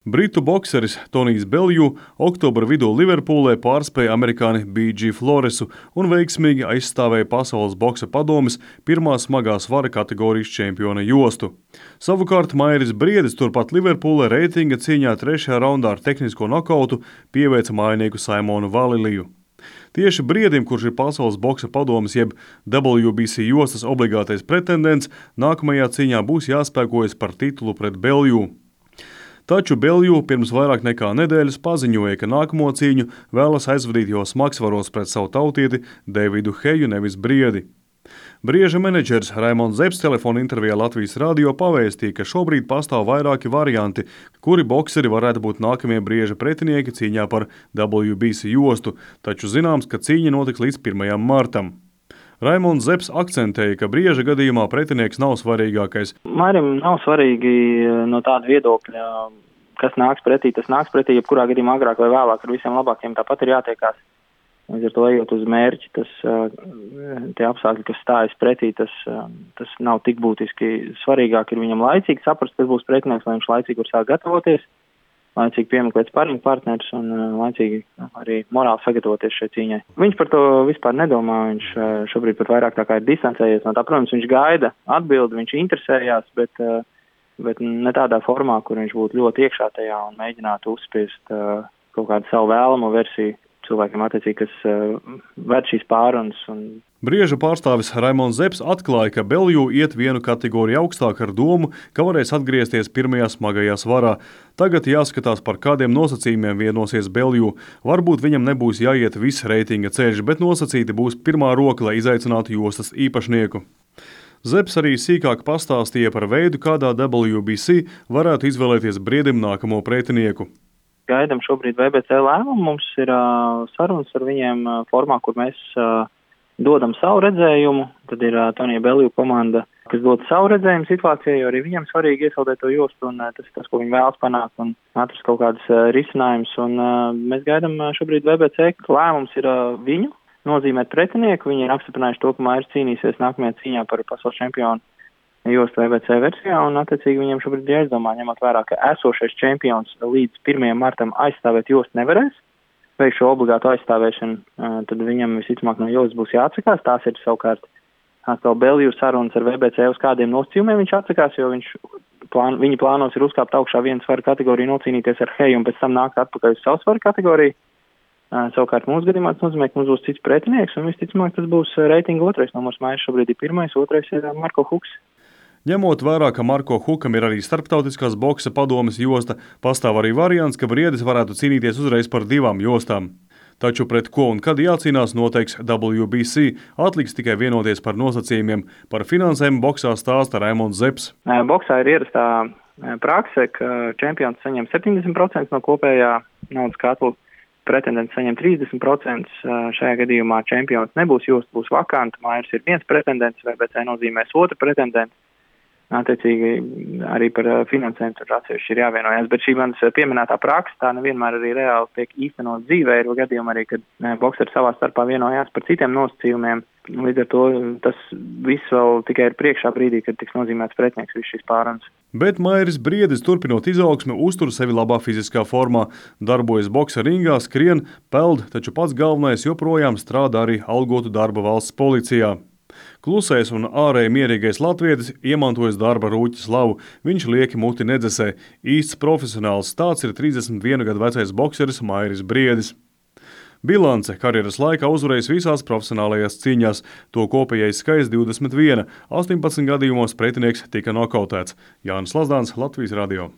Britu bokseris Tonijs Belju oktobra vidū Liverpūlē pārspēja amerikāni B.G. Floresu un veiksmīgi aizstāvēja Pasaules boksa padomes pirmā smagā svara kategorijas čempiona jostu. Savukārt Mairis Briedis turpat Liverpūlē reitinga cīņā 3. raundā ar tehnisko nokautu pieveica mājinieku Simonu Valiliju. Tieši Briedim, kurš ir Pasaules boksa padomes jeb WBC jostas obligātais pretendents, nākamajā cīņā būs jāspēkojas par titulu pret Belju. Taču Belju pirms vairāk nekā nedēļas paziņoja, ka nākamo cīņu vēlas aizvadīt jau smagsvaros pret savu tautieti Davidu Heju, nevis Briedi. Brieža menedžers Raimonds Zepss telefona intervijā Latvijas radio pavēstīja, ka šobrīd pastāv vairāki varianti, kuri bokseri varētu būt nākamie Brieža pretinieki cīņā par WBC jostu, taču zināms, ka cīņa notiks līdz 1. martam. Raimonds Zepss akcentēja, ka Brieža gadījumā pretinieks nav svarīgākais. Mairim nav svarīgi no tāda viedokļa, kas nāks pretī, tas nāks pretī, jebkurā gadījumā agrāk vai vēlāk ar visiem labākiem tāpat ir jātiekās. Līdz ar to ejot uz mērķi, tie apstākļi, kas stājas pretī, tas nav tik būtiski. Svarīgāk ir viņam laicīgi saprast, kas būs pretinieks, lai viņš laicīgi var sāk gatavoties, laicīgi piemeklēt sparringa partnerus un laicīgi arī morāli sagatavoties šai cīņai. Viņš par to vispār nedomā, viņš šobrīd pat vairāk tā kā ir distancējies no tā. Protams, viņš gaida atbildi, viņš interesējās, bet ne tādā formā, kur viņš būtu ļoti iekšā tajā un mēģinātu uzspiest kaut kādu savu vēlamo versiju cilvēkiem attiecīgi, kas ved šīs pārunas. Brieža pārstāvis Raimonds Zepss atklāja, ka Belju iet vienu kategoriju augstāk ar domu, ka varēs atgriezties pirmajā smagajā svarā. Tagad jāskatās, par kādiem nosacījumiem vienosies Belju. Varbūt viņam nebūs jāiet viss reitinga ceļš, bet nosacīti būs pirmā roka, lai izaicinātu jostas īpašnieku. Zepss arī sīkāk pastāstīja par veidu, kādā WBC varētu izvēlēties Briedim nākamo pretinieku. Gaidam šobrīd VBC lēmumu, mums ir sarunas ar viņiem formā, kur mēs dodam savu redzējumu, tad ir Tonija Belju komanda, kas dod savu redzējumu situācijai, jo arī viņam svarīgi iesaldēt to jostu, un tas ir tas, ko viņi vēlas panākt, un atrast kaut kādas risinājumus, un mēs gaidam šobrīd VBC, lēmums ir viņu nozīmēt pretinieku, viņi ir apstiprinājuši to, ka Mairis cīnīsies nākamajā cīņā par pasaules čempionu jostu VBC versijā, un attiecīgi viņiem šobrīd ir jāizdomā, ņemot vērā, ka esošais čempions līdz 1. martam aizstāvēt jostu nevarēs, veikt šo obligātu aizstāvēšanu, tad viņam visticamāk no jostas būs jāatsakās. Tās ir savukārt atkal Belju sarunas ar VBC, uz kādiem nosacījumiem viņš atsakās, jo viņi plānos ir uzkāpt augšā vienu svaru kategoriju, nocīnīties ar Heju un pēc tam nākt atpakaļ uz savu svaru kategoriju. Savukārt mūsu gadījumā tas nozīmē, ka mums būs cits pretinieks, un visticamāk tas būs reitinga 2. numurs. Mairis šobrīd ir 1., 2. ir Marko Huks. Ņemot vērā, ka Marko Hukam ir arī starptautiskās boksa padomes josta, pastāv arī variants, ka Briedis varētu cīnīties uzreiz par 2 jostām. Taču pret ko un kad jācīnās noteiks WBC, atliks tikai vienoties par nosacījumiem. Par finansēm boksā stāsta Raimonds Zepss. Boksā ir ierastā prakse, ka čempions saņem 70% no kopējā naudas katla, pretendents saņem 30%. Šajā gadījumā čempions nebūs josta, būs vakanta. Mairis ir viens pretendents, VBC nozīmēs otru pretendentu. Attiecīgi arī par finansēm tur atsevišķi ir jāvienojas, bet šī manas pieminētā praksa tā nevienmēr arī reāli tiek īstenot dzīvē, ir gadījumi arī, kad bokseri savā starpā vienojās par citiem nosacījumiem. Līdz ar to tas viss vēl tikai ir priekšā brīdī, kad tiks nozīmēts pretinieks viss šīs pārunas. Bet Mairis Briedis, turpinot izaugsmi, uztur sevi labā fiziskā formā, darbojas boksa ringā, skrien, peld, taču pats galvenais joprojām strādā arī algotu darba valsts policijā. Klusais un ārēji mierīgais latvietis iemantojas darba rūķa slavu, viņš lieki muti nedzesē. Īsts profesionāls tāds ir 31 gadu vecais bokseris Mairis Briedis. Bilance karjeras laikā uzvarējis visās profesionālajās cīņās, to kopējais skaits 21, 18 gadījumos pretinieks tika nokautēts. Jānis Lazdāns, Latvijas radio.